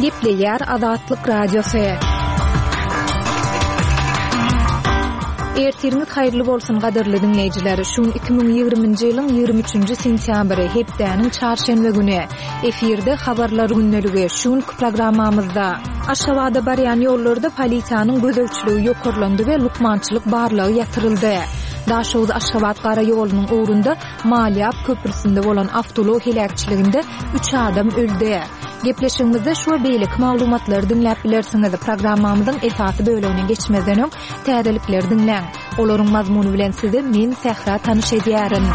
Gepleýär Azatlyk Radiosy. Ertiriňiz haýyrly bolsun gadyrly diňleýjiler. Şu gün 2020-nji ýylyň 23-nji sentýabry, hepdäniň çarşenbe güni. Efirde habarlar gündeligi. Şu günki programmamyzda Aşgabada barýan ýollarda polisiýanyň gözegçiligi ýokarlandy we lukmançylyk barlagy ýatyryldy. Daşoguz-Aşgabat gara ýolunyň ugrunda Malýap köprüsinde bolan awtoulag heläkçiliginde üç adam öldi. Gepleşigimizde şu we beýleki maglumatlary diňläp bilersiňiz. Programmamyzyň esasy bölegine geçmezden öň, täzelikleri diňläň. Olaryň mazmuny bilen sizi men, Sähra tanyş edýärin.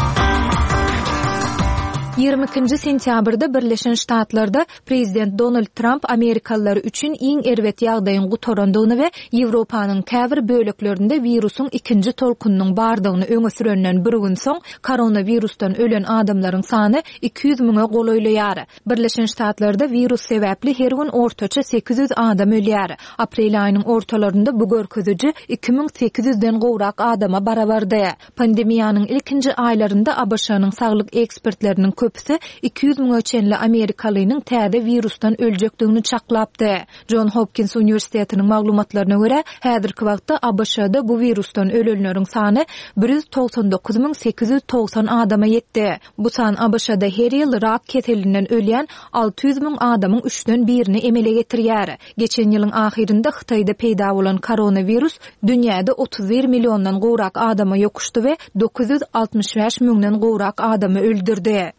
22-nji sentýabrda Birleşen Ştatlarda Prezident Donald Tramp amerikalylar üçin iň erbet ýagdaýyň gutarandygyny we Ýewropanyň käbir böleklerinde wirusyň ikinji tolkunynyň bardygyny öňe sürenden bir gün soň, koronawirusdan ölen adamlaryň sany 200 müňe golaýlaýar. Birleşen Ştatlarda wirus sebäpli her gün ortaça 800 adam ölýär. Aprel aýynyň ortalarynda bu görkeziji 2800 den gowrak adama barabardy. Pandemiýanyň ilkinji aýlarynda ABŞ-nyň saglyk ekspertleriniň köpüsi 200 müňe çenli amerikalynyň täze wirusdan öljekdigini çaklapdy. Jon Hopkins uniwersitetiniň maglumatlaryna görä, häzirki wagtda ABŞ-da bu wirusdan ölenleriň sany 199 890 adama ýetdi. Bu san ABŞ-da her ýyl rak keselinden ölýän 600 müň adamyň üçden birini emele getirýär. Geçen ýylyň ahyrynda Hytaýda peýda bolan koronawirus dünýäde 31 milliondan gowrak adama ýokuşdy we 965 müňden gowrak adamy öldürdi.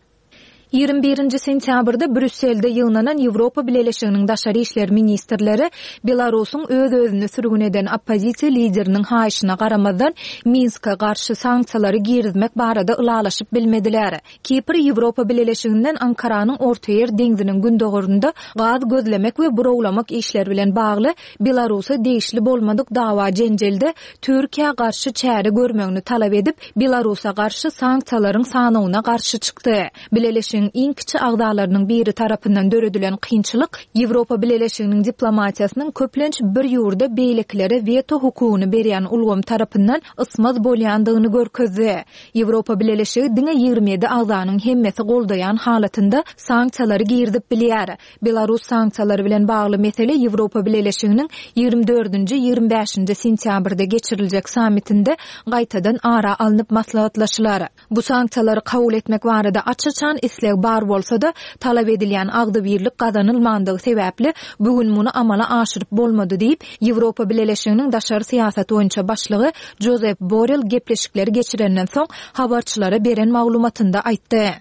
Ýigrimi birinji sentýabrda Brýusselde ýygnanan Ýewropa Bileleşiginiň daşary işler ministrleri Belarusyň öz-özüni sürgün eden oppozisiýa lideriniň haýyşyna garamazdan, Minske garşy sanksiýalary girizmek barada ylalaşyp bilmediler. Kipr Ýewropa Bileleşiginden Ankaranyň Ortaýer deňziniň gündogarynda gaz gözlemek we burawlamak işleri bilen bagly Belarusa degişli bolmadyk dawa-jenjelde Türkiýä garşy çäre görmegini talap edip, Belarusa garşy sanksiýalaryň sanawyna garşy çykdy. Bileleşigiň iň kiçi agzalarynyň biri tarapyndan döredilen kynçylyk Ýewropa Bileleşiginiň diplomatiýasynyň köplenç bir ýurda beýlekilere weto hukugyny berýän ulgam tarapyndan ysmaz bolýandygyny görkezdi. Ýewropa Bileleşigi diňe 27 agzanyň hemmesi goldaýan halatynda sanksiýalary girizip bilýär. Belarus sanksiýalary bilen bagly mesele Ýewropa Bileleşiginiň ýigrimi dördünji, ýigrimi bäşinji sentýabrda geçiriljek sammitinde gaýtadan ara alnyp maslahatlaşylar. Bu sanksiýalary kabul etmek barada aç-açan isleg bar bolsa-da, talap edilýän agzybirlik gazanylmandygy sebäpli, bu gün muny amala aşyryp bolmady diýip, Ýewropa Bileleşiginiň daşary syýasat boýunça başlygy Jozep Borrel gepleşikleri geçirenden soň habarçylara beren maglumatynda aýtdy.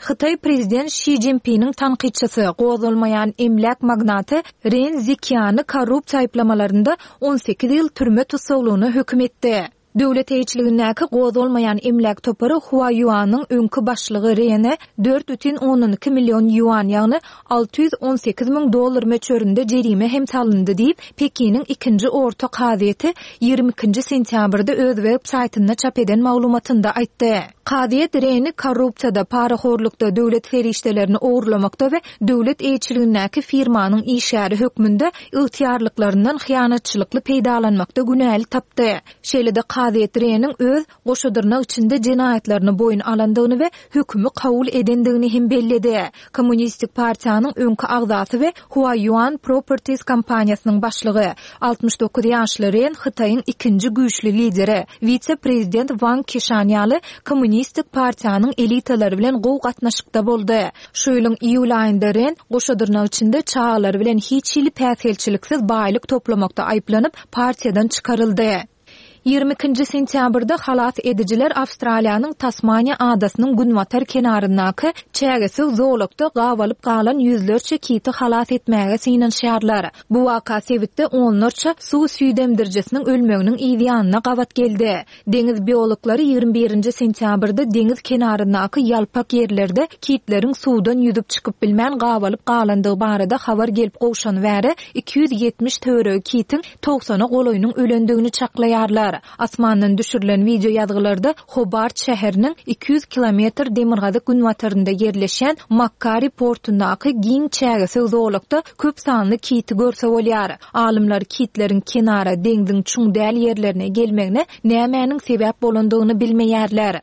Hytaý prezident Şi Jinpiniň tankytçysy, gozgalmaýan emläk magnaty Ren Zikiany korrupsiýa aýyplamalarynda 18 ýyl türme tussaglygyna höküm etdi. Döwlet eýeçiligindäki gozgalmaýan emläk topary Huaýuanyň öňki başlygy Rene 4,2 million ýuan, ýagny 618 müň dollar möçberinde jerime hem salyndy diýip, Pekiniň ikinji orta kazyýeti 22-nji sentýabrda öz web saýtynda çap eden maglumatynda aýtdy. Kazyýet Reni korrupsiýada, parahorlukda, döwlet serişdelerini ogurlamakda we döwlet eýeçiligindäki firmanyň işgäri hökmünde ygtyýarlyklaryndan hyýanatçylykly peýdalanmakda günäli tapdy. Şeýle-de kazyýet Reniň öz goşa dyrnak içinde jenaýatlaryny boýun alandygyny we hökümi kabul edendigini hem belledi. Kommunistik partiýanyň öňki agzasy we Huayuan Properties kompaniýasynyň başlygy, 69 ýaşly Ren Hytaýyň ikinji güýçli lideri, wise-prezident Wang Kişan ýaly Kommunistik partiýanyň elitalary bilen gowy gatnaşykda boldy. Şu ýylyň iýul aýynda Ren, goşa dyrnak içinde çagalary bilen hiç hili päsgelçiliksiz baýlyk toplamakda aýyplanyp, partiýadan çykaryldy. 22-nji sentýabrda halas edijiler Awstraliýanyň Tasmaniýa adasynyň günbatar kenaryndaky çägesöw zolakda gabalyp galan ýüzlerçe kiti halas etmäge synanyşýarlar. Bu waka sebitde onlarça suw süýdemdirijisiniň ölmeginiň yz ýanyna gabat geldi. Deňiz biologlary 21-nji sentýabrda deňiz kenaryndaky ýalpak ýerlerde kitleriň suwdan ýüzüp çykyp bilmän gabalyp galandygy barada habar gelip gowşany bäri 270 töweregi kitiň togsana golaýynyň ölendigini çaklaýarlar. Asmandan düşürilen wideoýazgylarda Hobart şäheriniň 200 kilometr demirgazyk-günbatarynda ýerleşýän Makkari portundaky giň çägesöw zolakda köp sanly kiti görse bolýar. Alymlar kitleriň kenara, deňziň çuň däl ýerlerine gelmegine nämäniň sebäp bolandygyny bilmeýärler.